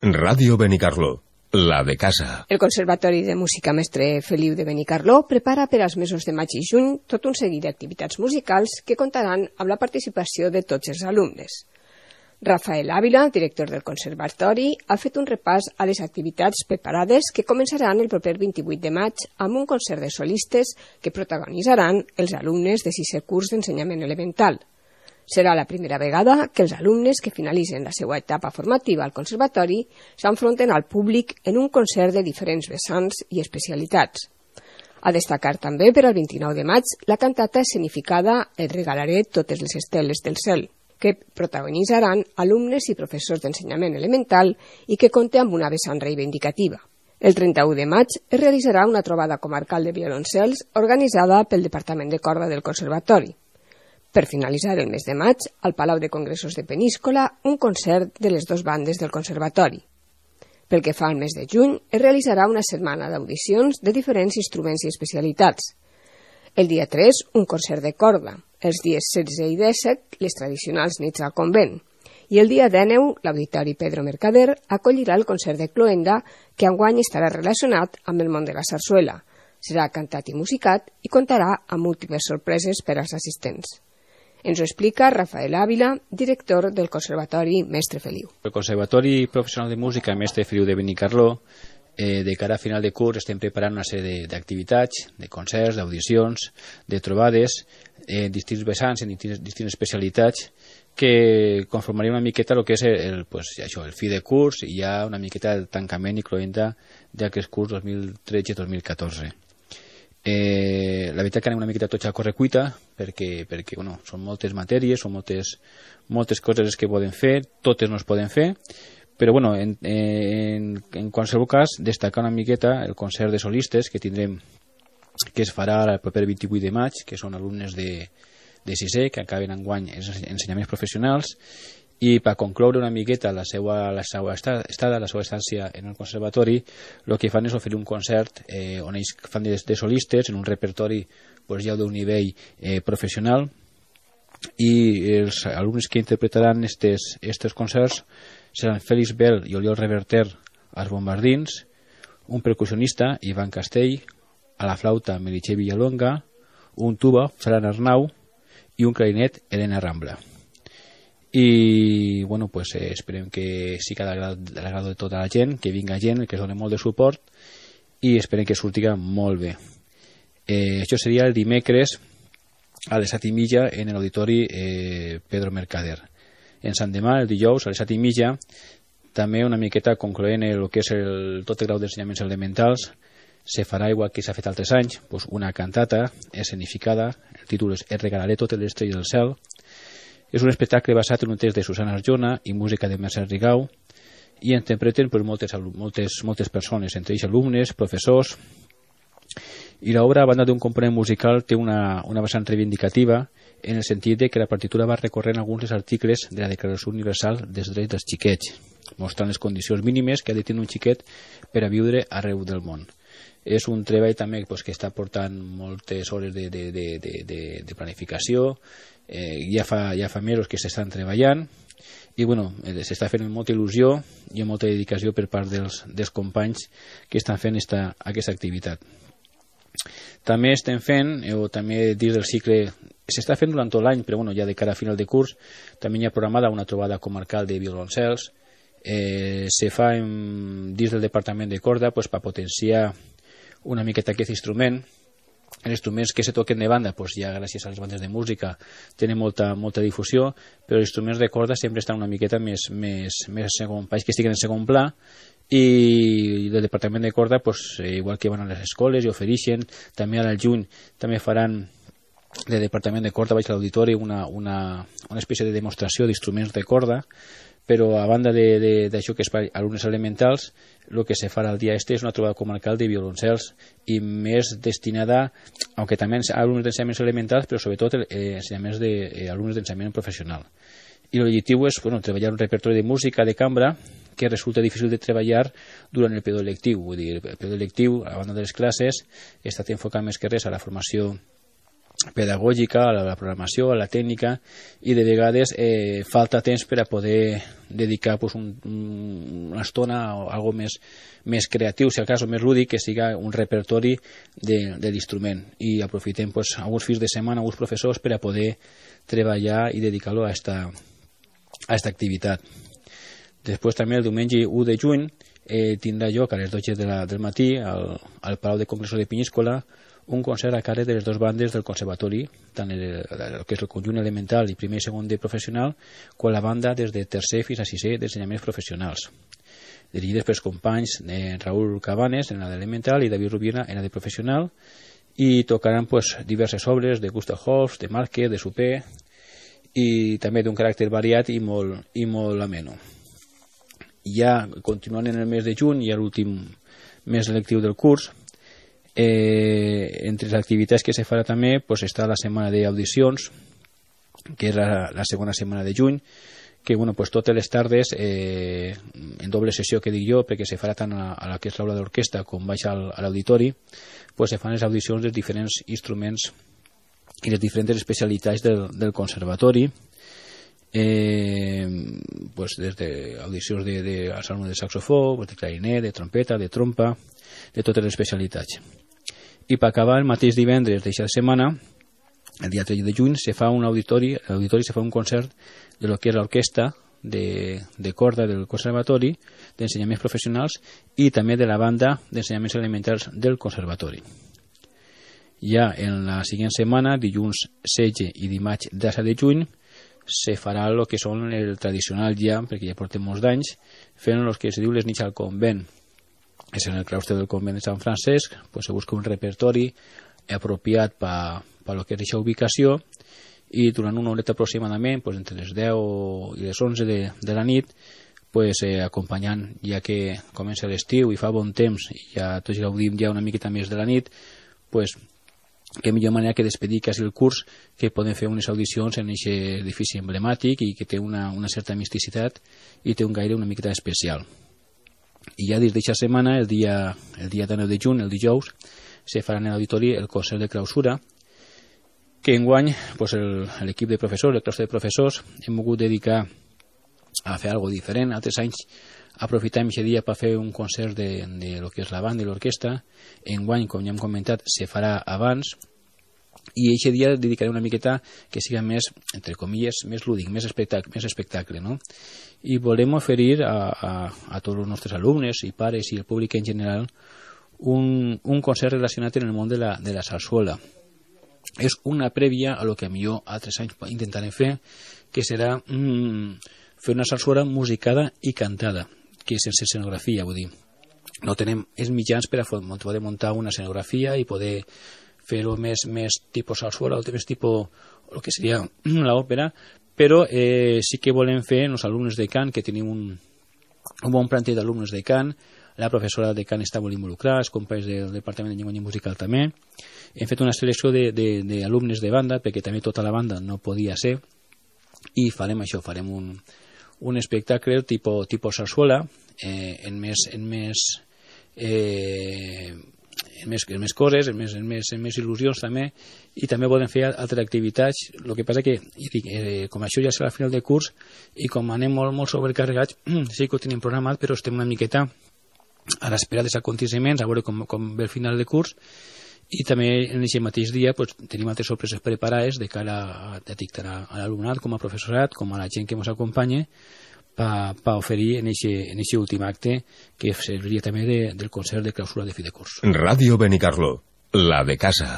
Ràdio Benicarló, la de casa. El Conservatori de Música Mestre Feliu de Benicarló prepara per als mesos de maig i juny tot un seguit d'activitats musicals que comptaran amb la participació de tots els alumnes. Rafael Ávila, director del Conservatori, ha fet un repàs a les activitats preparades que començaran el proper 28 de maig amb un concert de solistes que protagonitzaran els alumnes de 6è curs d'ensenyament elemental. Serà la primera vegada que els alumnes que finalitzen la seva etapa formativa al Conservatori s'enfronten al públic en un concert de diferents vessants i especialitats. A destacar també per al 29 de maig la cantata escenificada Et regalaré totes les esteles del cel, que protagonitzaran alumnes i professors d'ensenyament elemental i que compta amb una vessant reivindicativa. El 31 de maig es realitzarà una trobada comarcal de violoncels organitzada pel Departament de Corda del Conservatori. Per finalitzar el mes de maig, al Palau de Congressos de Peníscola, un concert de les dues bandes del Conservatori. Pel que fa al mes de juny, es realitzarà una setmana d'audicions de diferents instruments i especialitats. El dia 3, un concert de corda. Els dies 16 i 17, les tradicionals nits al convent. I el dia 19, l'Auditori Pedro Mercader acollirà el concert de cloenda, que enguany estarà relacionat amb el món de la sarsuela. Serà cantat i musicat i comptarà amb múltiples sorpreses per als assistents. Ens ho explica Rafael Ávila, director del Conservatori Mestre Feliu. El Conservatori Professional de Música Mestre Feliu de Benicarló, de cara a final de curs, estem preparant una sèrie d'activitats, de concerts, d'audicions, de trobades, en distints vessants, en distintes especialitats, que conformaria una miqueta el que és el fi de curs i ja una miqueta el tancament i cloenda d'aquest curs 2013-2014. La veritat que anem una miqueta tots a correcuita perquè són moltes matèries, són moltes coses que poden fer, totes no es poden fer, però en qualsevol cas destacar una miqueta el concert de solistes que tindrem, que es farà el proper 28 de maig, que són alumnes de 6è que acaben enguany els ensenyaments professionals, i per concloure una miqueta la seva estància en el conservatori, el que fan és oferir un concert on ells fan de solistes en un repertori ja d'un nivell professional, i els alumnes que interpretaran estos concerts seran Félix Bel i Oriol Reverter als bombardins, un percussionista, Ivan Castell, a la flauta Meritxell Villalonga, un tuba, Fran Arnau, i un clarinet, Elena Rambla. I esperem que sigui a l'agrado de tota la gent, que vinga gent, que es doni molt de suport, i esperem que surtiga molt bé. Això seria el dimecres a les 7:30 en l'auditori Pedro Mercader. En Sant Demà, el dijous, a les 7:30, també una miqueta concloent el que és tot el grau d'ensenyaments elementals, se farà igual que s'ha fet altres anys, una cantata escenificada, el títol és Et regalaré totes les estrelles del cel. És un espectacle basat en un text de Susana Arjona i música de Mercè Rigau, i interpreten moltes persones, entre ells alumnes, professors, i l'obra, a banda d'un component musical, té una vessant reivindicativa en el sentit de que la partitura va recorrent alguns dels articles de la Declaració Universal dels Drets dels Xiquets, mostrant les condicions mínimes que ha de tenir un xiquet per a viure arreu del món. És un treball també que està portant moltes hores de planificació, ja fa mesos que s'estan treballant, i s'està fent amb molta il·lusió i amb molta dedicació per part dels companys que estan fent aquesta activitat. També estem fent, o també dins del cicle, s'està fent durant tot l'any, però ja de cara a final de curs, també hi ha programada una trobada comarcal de violoncels, se fa dins del Departament de Corda per potenciar una miqueta aquest instrument. Els instruments que se toquen de banda, ja gràcies a les bandes de música, tenen molta difusió, però els instruments de corda sempre estan una miqueta més segon, que estiguen en segon pla, i del Departament de Corda, igual que van a les escoles i ofereixen, també ara al juny també faran del Departament de Corda, vaig a l'auditori, una espècie de demostració d'instruments de corda, però a banda d'això que és per alumnes elementals, el que se farà el dia és una trobada comarcal de violoncels, i més destinada, aunque també a alumnes d'ensenyaments elementals, però sobretot alumnes d'ensenyament professional. I l'objectiu és treballar un repertori de música de cambra que resulta difícil de treballar durant el període lectiu. Vull dir, el període lectiu, a banda de les classes, està enfocat més que res a la formació pedagògica, a la programació, a la tècnica, i de vegades falta temps per a poder dedicar pues, una estona o algo més creatiu, si al cas, o més lúdic, que siga un repertori de l'instrument. I aprofitem pues, alguns fins de setmana, alguns professors, per a poder treballar i dedicar-lo a esta activitat. Després també el diumenge 1 de juny tindrà lloc a les 12 del matí al Palau de Congressos de Penyíscola un concert a càrrec de les dues bandes del conservatori, tant el que és el conjunt elemental i primer i segon de professional, com la banda des de tercer fins a sisè d'ensenyaments professionals, dirigides pels companys de Raúl Cabanes en la d'elemental i David Rubiera en la de professional, i tocaran pues, diverses obres de Gustav Holst, de Márquez, de Supé, i també d'un caràcter variat i molt ameno. Ja continuant en el mes de juny, ja l'últim mes lectiu del curs, entre les activitats que se farà també pues, està la setmana d'audicions, que és la segona setmana de juny, que bueno, pues, totes les tardes en doble sessió que dic jo, perquè se farà tant a la que és l'aula d'orquestra com baix a l'auditori, pues, se fan les audicions dels diferents instruments i les diferents especialitats del conservatori, pues, des d'audicions als alumnes de saxofó, pues, de clarinet, de trompeta, de trompa, de totes les especialitats. I per acabar, el mateix divendres d'aquesta setmana, el dia 3 de juny, se fa un auditori, se fa un concert de lo que és l'orquestra de corda del conservatori, d'ensenyaments professionals i també de la banda d'ensenyaments elementals del conservatori. Ja en la següent setmana, dilluns 16 i dimarts 17 de juny, se farà el que són el tradicional jam, perquè ja portem molts d'anys, fent el que es diu les nits al convent. És en el claustre del convent de Sant Francesc, pues se busca un repertori apropiat per lo que és aquesta ubicació, i durant una horeta aproximadament, pues entre les 10 i les 11 de la nit, pues acompanyant, ja que comença l'estiu i fa bon temps, i ja tots gaudim ja una miqueta més de la nit, pues que millor manera que despedir quasi el curs que poden fer unes audicions en aquest edifici emblemàtic i que té una certa misticitat i té un gaire una miqueta especial. I ja des d'aquesta setmana, el dia 9 de juny, el dijous, se farà en l'auditori el concert de clausura, que enguany pues, l'equip de professors, el claustre de professors, hem volgut dedicar a fer alguna cosa diferent. Altres anys aprofitem aquest dia per fer un concert de lo que és la banda i l'orquestra. Enguany, com ja hem comentat, se farà abans, i aquest dia dedicaré una miqueta que siga més, entre comilles, més lúdic, més espectacle, no? I volem oferir a tots els nostres alumnes i pares i el públic en general un concert relacionat en el món de la sarsuela. És una prèvia a lo que millor altres anys intentarem fer, que serà fer una sarsuela musicada i cantada, que sense escenografia, vull dir. No tenem els mitjans per a poder muntar una escenografia i poder fer-ho més tipus sarsuela o més tipus el que seria l'òpera, però sí que volem fer els alumnes de cant, que tenim un bon planter d'alumnes de cant, la professora de cant està molt involucrada, els companys del Departament de Llengua Musical també. Hem fet una selecció d'alumnes de banda, perquè també tota la banda no podia ser, i farem això, farem un espectacle tipus sarsuela, en més coses, en més il·lusions també, i també podem fer altres activitats. El que passa que, com això ja serà al final de curs, i com anem molt sobrecarregats, sí que ho tenim programat, però estem una miqueta a l'espera dels aconteciments, a veure com ve el final de curs, i també en aquest mateix dia pues, tenim altres sorpreses preparades de cara a l'alumnat, com a professorat, com a la gent que ens acompanya, per oferir en aquest últim acte, que serviria també del concert de clausura de fi de curs. Radio Benicarló, la de casa.